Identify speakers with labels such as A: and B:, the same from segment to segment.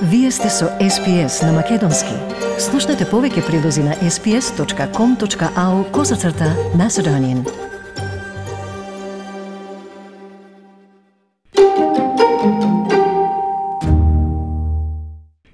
A: Вие сте со SPS на Македонски. Слушнете повеќе прилози на sps.com.au/Macedonian.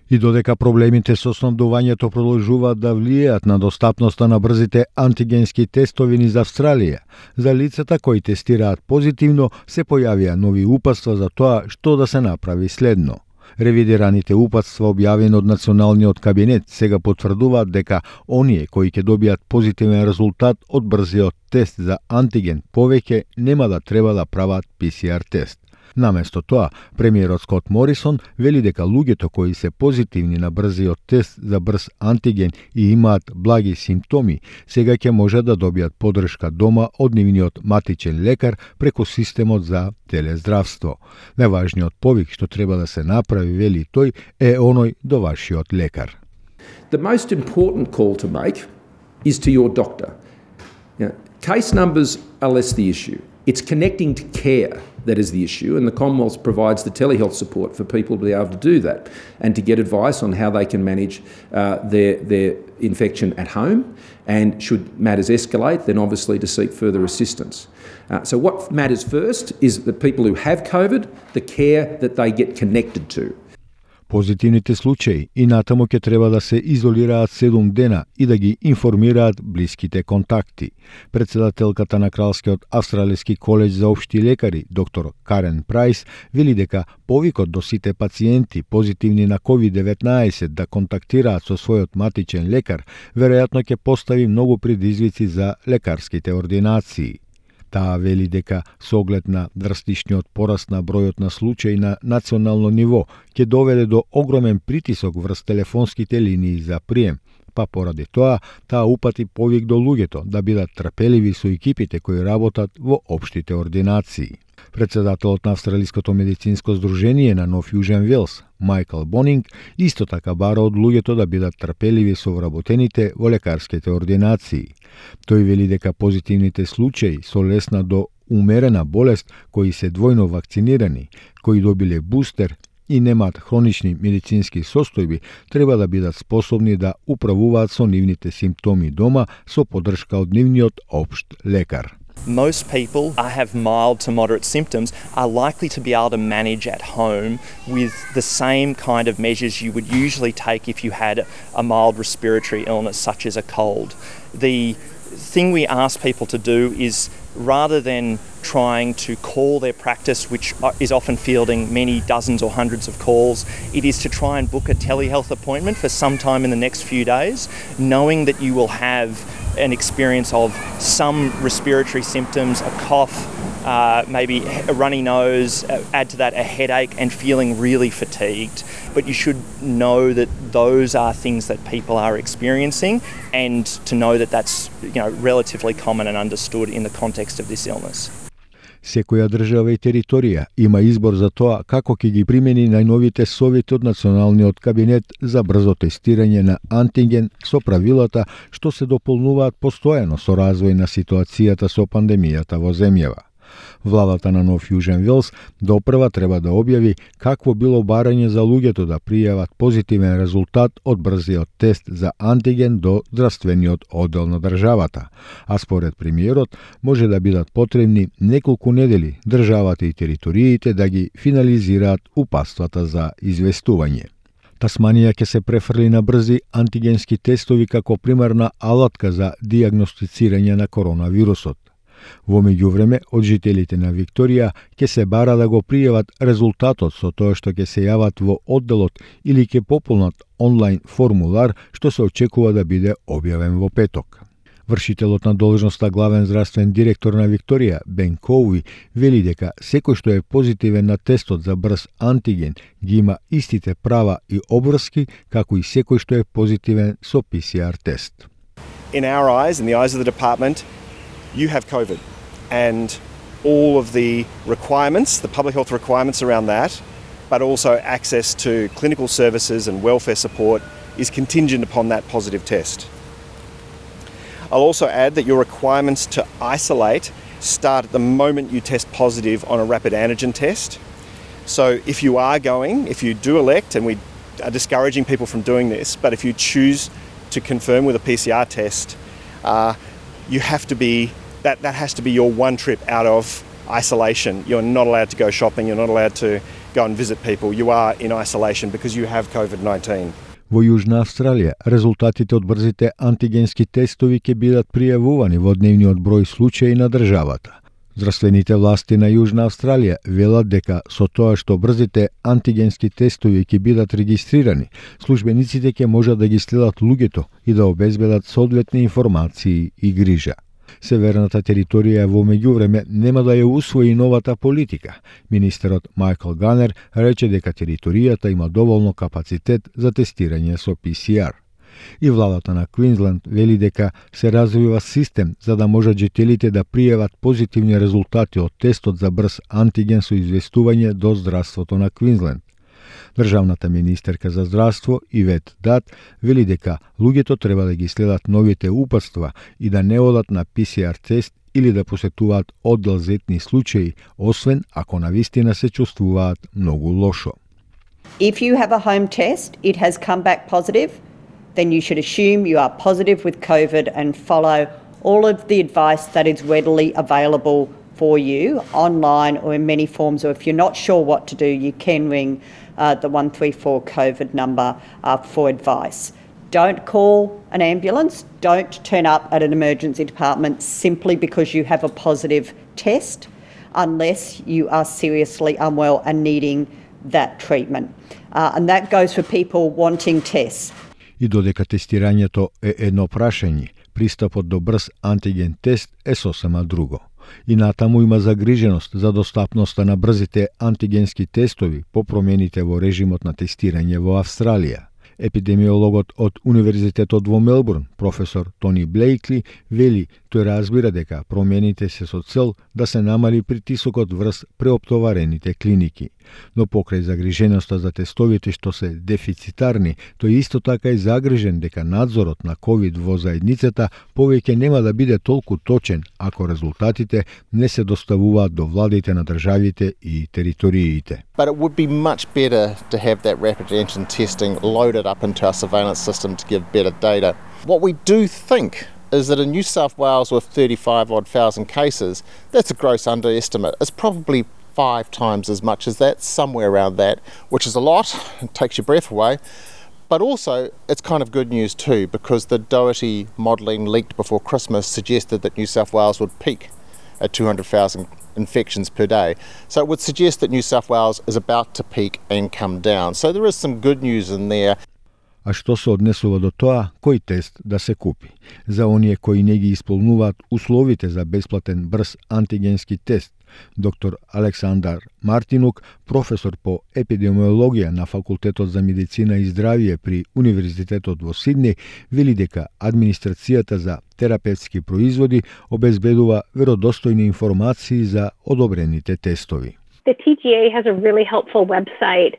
B: И додека проблемите со снабдувањето продолжуваат да влијаат на достапноста на брзите антигенски тестови низ Австралија, за лицата кои тестираат позитивно се појавија нови упатства за тоа што да се направи следно. Ревидираните упатства објавени од Националниот кабинет сега потврдуваат дека оние кои ќе добијат позитивен резултат од брзиот тест за антиген повеќе нема да треба да прават PCR тест. Наместо тоа, премиерот Скот Морисон вели дека луѓето кои се позитивни на брзиот тест за брз антиген и имаат благи симптоми, сега ќе може да добијат поддршка дома од нивниот матичен лекар преку системот за телездравство. Најважниот повик што треба да се направи, вели тој, е оној до вашиот лекар.
C: The most important call to make is to your doctor. Case numbers are less the issue. It's connecting to care that is the issue, and the Commonwealth provides the telehealth support for people to be able to do that and to get advice on how they can manage their infection at home, and should matters escalate, then obviously to seek further assistance. So what matters first is the people who have COVID, the care that they get connected to.
B: Позитивните случаи и натаму ќе треба да се изолираат 7 дена и да ги информираат блиските контакти. Председателката на Кралскиот австралиски колеџ за општи лекари, доктор Карен Прайс, вели дека повикот до сите пациенти позитивни на COVID-19 да контактираат со својот матичен лекар, веројатно ќе постави многу предизвици за лекарските ординации. Таа вели дека со оглед на драстичниот пораст на бројот на случаи на национално ниво ќе доведе до огромен притисок врз телефонските линии за прием, па поради тоа таа упати повик до луѓето да бидат трпеливи со екипите кои работат во општите ординации. Председателот на Австралиското медицинско здружение на Нов Јужен Велс, Майкл Бонинг, исто така бара од луѓето да бидат трпеливи со вработените во лекарските ординации. Тој вели дека позитивните случаи со лесна до умерена болест, кои се двојно вакцинирани, кои добиле бустер и немаат хронични медицински состојби, треба да бидат способни да управуваат со нивните симптоми дома со поддршка од нивниот општ лекар.
D: Most people who have mild to moderate symptoms are likely to be able to manage at home with the same kind of measures you would usually take if you had a mild respiratory illness such as a cold. The thing we ask people to do is, rather than trying to call their practice, which is often fielding many dozens or hundreds of calls, it is to try and book a telehealth appointment for some time in the next few days, knowing that you will have an experience of some respiratory symptoms, a cough, maybe a runny nose, add to that a headache and feeling really fatigued. But you should know that those are things that people are experiencing, and to know that that's relatively common and understood in the context of this illness.
B: Секоја држава и територија има избор за тоа како ќе ги примени најновите совети од Националниот кабинет за брзо тестирање на антиген со правилата што се дополнуваат постојано со развој на ситуацијата со пандемијата во земјава. Владата на Нов Јужен Велс допрва треба да објави какво било барање за луѓето да пријават позитивен резултат од брзиот тест за антиген до здравствениот оддел на државата, а според премиерот може да бидат потребни неколку недели државата и териториите да ги финализираат упатствата за известување. Тасманија ќе се префрли на брзи антигенски тестови како примерна алатка за дијагностицирање на коронавирусот. Во меѓувреме, од жителите на Викторија ќе се бара да го пријават резултатот со тоа што ќе се јават во одделот или ќе пополнат онлайн формулар што се очекува да биде објавен во петок. Вршителот на должноста главен здравствен директор на Викторија, Бен Коуи, вели дека секој што е позитивен на тестот за брз антиген ги има истите права и обврски како и секој што е позитивен со PCR тест.
E: In our eyes, in the eyes of the department, you have COVID, and all of the requirements, the public health requirements around that, but also access to clinical services and welfare support is contingent upon that positive test. I'll also add that your requirements to isolate start at the moment you test positive on a rapid antigen test. So if you do elect, and we discouraging people from doing this, but if you choose to confirm with a PCR test, you have to be, that has to be your one trip out of isolation. You're not allowed to go shopping, you're not allowed to go and visit people. You are in isolation because you have COVID-19.
B: Во Јужна Австралија, резултатите од брзите антигенски тестови ќе бидат пријавувани во дневниот број случаи на државата. Здравствените власти на Јужна Австралија велат дека со тоа што брзите антигенски тестови ќе бидат регистрирани, службениците ќе можат да ги следат луѓето и да обезбедат соодветни информации и грижа. Северната територија во меѓувреме нема да ја усвои новата политика. Министерот Майкл Ганер рече дека територијата има доволно капацитет за тестирање со PCR. И владата на Квинсленд вели дека се развива систем за да можат жителите да пријават позитивни резултати од тестот за брз антиген со известување до здравството на Квинсленд. Државната министерка за здравство Ивет Дат вели дека луѓето треба да ги следат новите упатства и да не одат на PCR тест или да посетуваат оддел за етни случаи, освен ако навистина се чувствуваат многу лошо.
F: If you have a home test, it has come back positive, then you should assume you are positive with COVID and follow all of the advice that is readily available for you online or in many forms, or if you're not sure what to do, you can ring the 134 COVID number for advice. Don't call an ambulance, don't turn up at an emergency department simply because you have a positive test unless you are seriously unwell and needing that treatment. And that goes for people wanting tests.
B: И додека тестирањето е едно прашање, пристапот до брз антиген тест е сосема друго. И натаму има загриженост за достапноста на брзите антигенски тестови по промените во режимот на тестирање во Австралија. Епидемиологот од Универзитетот во Мелбурн, професор Тони Блейкли, вели тој разбира дека промените се со цел да се намали притисокот врз преоптоварените клиники. Но покрај загриженоста за тестовите што се дефицитарни, тој исто така е загрижен дека надзорот на ковид во заедницата повеќе нема да биде толку точен ако резултатите не се доставуваат до владите на државите и териториите.
G: But it would be much better to have that rapid antigen testing loaded up into our surveillance system to give better data. What we do think is that in New South Wales with 35,000 cases, that's a gross underestimate. It's probably 5 times as much as that, somewhere around that, which is a lot, it takes your breath away. But also, it's kind of good news too, because the Doherty modelling leaked before Christmas suggested that New South Wales would peak at 200,000 infections per day. So it would suggest that New South Wales is about to peak and come down. So there is some good news in there.
B: А што се однесува до тоа, кој тест да се купи? За оние кои не ги исполнуваат условите за бесплатен брз антигенски тест, доктор Александар Мартинук, професор по епидемиологија на Факултетот за медицина и здравје при Универзитетот во Сиднеј, вели дека администрацијата за терапевтски производи обезбедува веродостојни информации за одобрените тестови.
H: The TGA has a really helpful website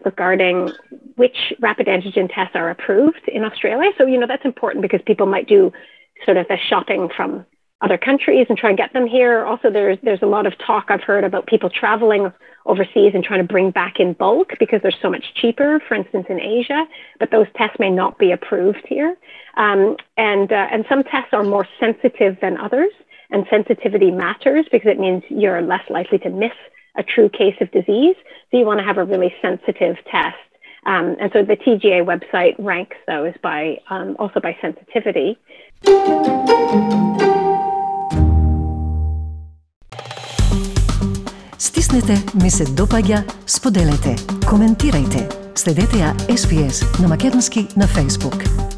H: regarding which rapid antigen tests are approved in Australia. So, that's important because people might do sort of the shopping from other countries and try and get them here. Also, there's a lot of talk I've heard about people traveling overseas and trying to bring back in bulk because they're so much cheaper, for instance, in Asia, but those tests may not be approved here. And some tests are more sensitive than others, and sensitivity matters because it means you're less likely to miss a true case of disease. So you want to have a really sensitive test. And so the TGA website ranks those by also by sensitivity.
A: Стиснете, ми се допаѓа, споделете, коментирајте. Следете ја SPS на Македонски на Facebook.